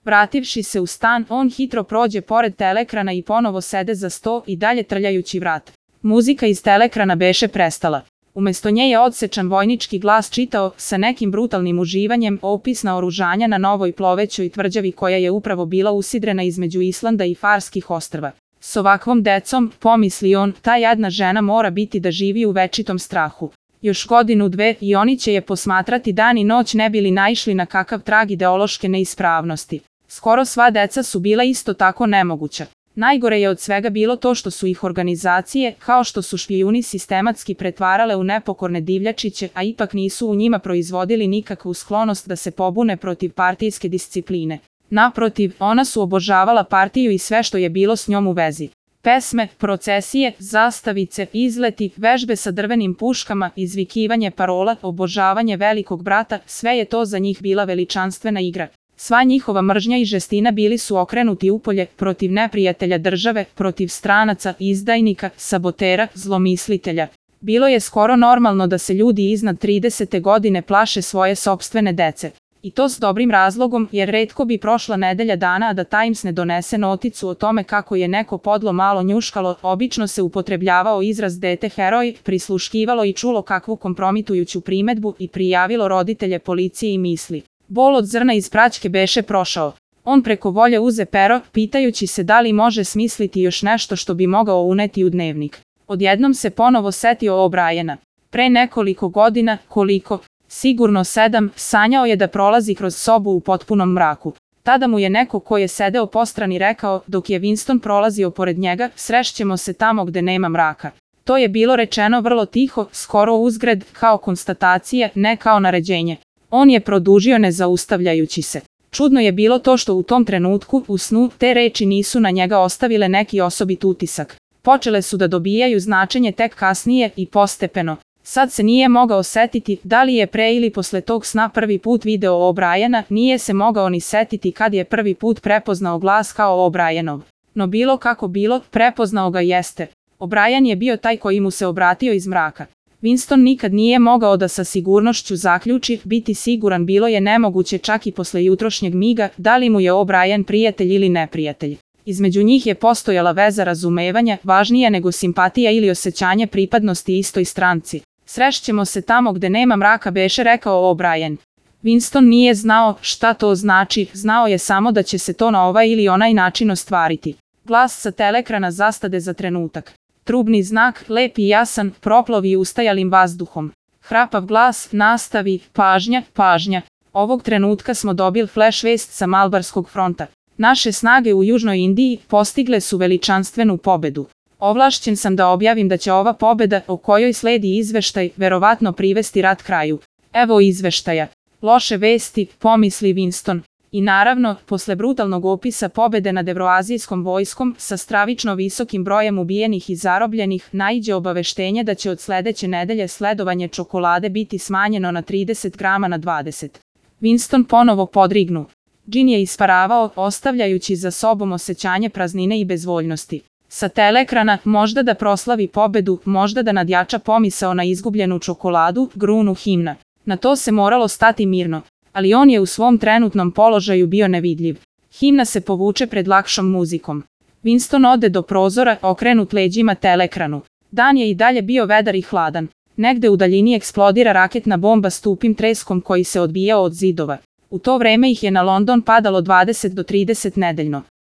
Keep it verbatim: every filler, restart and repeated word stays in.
Vrativši se u stan, on hitro prođe pored telekrana i ponovo sede za sto i dalje trljajući vrat. Muzika iz telekrana beše prestala. Umesto nje je odsečan vojnički glas čitao sa nekim brutalnim uživanjem opis naoružanja na novoj plovećoj tvrđavi koja je upravo bila usidrena između Islanda i Farskih ostrva. S ovakvom decom, pomisli on, ta jadna žena mora biti da živi u večitom strahu. Još godinu dve i oni će je posmatrati dan i noć ne bili naišli na kakav trag ideološke neispravnosti. Skoro sva deca su bila isto tako nemoguća. Najgore je od svega bilo to što su ih organizacije, kao što su špijuni sistematski pretvarale u nepokorne divljačiće, a ipak nisu u njima proizvodili nikakvu sklonost da se pobune protiv partijske discipline. Naprotiv, ona su obožavala partiju i sve što je bilo s njom u vezi. Pesme, procesije, zastavice, izleti, vežbe sa drvenim puškama, izvikivanje parola, obožavanje velikog brata, sve je to za njih bila veličanstvena igra. Sva njihova mržnja i žestina bili su okrenuti upolje, protiv neprijatelja države, protiv stranaca, izdajnika, sabotera, zlomislitelja. Bilo je skoro normalno da se ljudi iznad tridesete godine plaše svoje sopstvene dece. I to s dobrim razlogom, jer retko bi prošla nedelja dana a da Times ne donese noticu o tome kako je neko podlo malo njuškalo, obično se upotrebljavao izraz dete heroj, prisluškivalo i čulo kakvu kompromitujuću primedbu i prijavilo roditelje policiji i misli. Bol od zrna iz praćke beše prošao. On preko volje uze pero, pitajući se da li može smisliti još nešto što bi mogao uneti u dnevnik. Odjednom se ponovo setio O'Briena. Pre nekoliko godina, koliko? Sigurno sedam, sanjao je da prolazi kroz sobu u potpunom mraku. Tada mu je neko ko je sedeo postrani rekao, dok je Winston prolazio pored njega, srešćemo se tamo gde nema mraka. To je bilo rečeno vrlo tiho, skoro uzgred, kao konstatacija, ne kao naređenje. On je produžio ne zaustavljajući se. Čudno je bilo to što u tom trenutku, u snu, te reči nisu na njega ostavile neki osobit utisak. Počele su da dobijaju značenje tek kasnije i postepeno. Sad se nije mogao setiti da li je pre ili posle tog sna prvi put video O'Briena, nije se mogao ni setiti kad je prvi put prepoznao glas kao O'Brienov. No bilo kako bilo, prepoznao ga jeste. O'Brien je bio taj koji mu se obratio iz mraka. Winston nikad nije mogao da sa sigurnošću zaključi, biti siguran bilo je nemoguće čak i posle jutrošnjeg miga, da li mu je O'Brien prijatelj ili neprijatelj. Između njih je postojala veza razumevanja, važnija nego simpatija ili osjećanje pripadnosti istoj stranci. Srešćemo se tamo gde nema mraka beše rekao O'Brien. Winston nije znao šta to znači, znao je samo da će se to na ovaj ili onaj način ostvariti. Glas sa telekrana zastade za trenutak. Trubni znak, lep i jasan, proplovi ustajalim vazduhom. Hrapav glas, nastavi, pažnja, pažnja. Ovog trenutka smo dobili flash vest sa Malbarskog fronta. Naše snage u Južnoj Indiji postigle su veličanstvenu pobedu. Ovlašćen sam da objavim da će ova pobeda, o kojoj sledi izveštaj, verovatno privesti rat kraju. Evo izveštaja. Loše vesti, pomisli Winston. I naravno, posle brutalnog opisa pobede nad evroazijskom vojskom, sa stravično visokim brojem ubijenih i zarobljenih, naiđe obaveštenje da će od sledeće nedelje sledovanje čokolade biti smanjeno na trideset grama na dvadeset. Winston ponovo podrignu. Džin je isparavao, ostavljajući za sobom osjećanje praznine i bezvoljnosti. Sa telekrana, možda da proslavi pobedu, možda da nadjača pomisao na izgubljenu čokoladu, grunu himna. Na to se moralo stati mirno. Ali on je u svom trenutnom položaju bio nevidljiv. Himna se povuče pred lakšom muzikom. Winston ode do prozora, okrenut leđima telekranu. Dan je i dalje bio vedar i hladan. Negde u daljini eksplodira raketna bomba s tupim treskom koji se odbijao od zidova. U to vreme ih je na London padalo dvadeset do trideset nedeljno.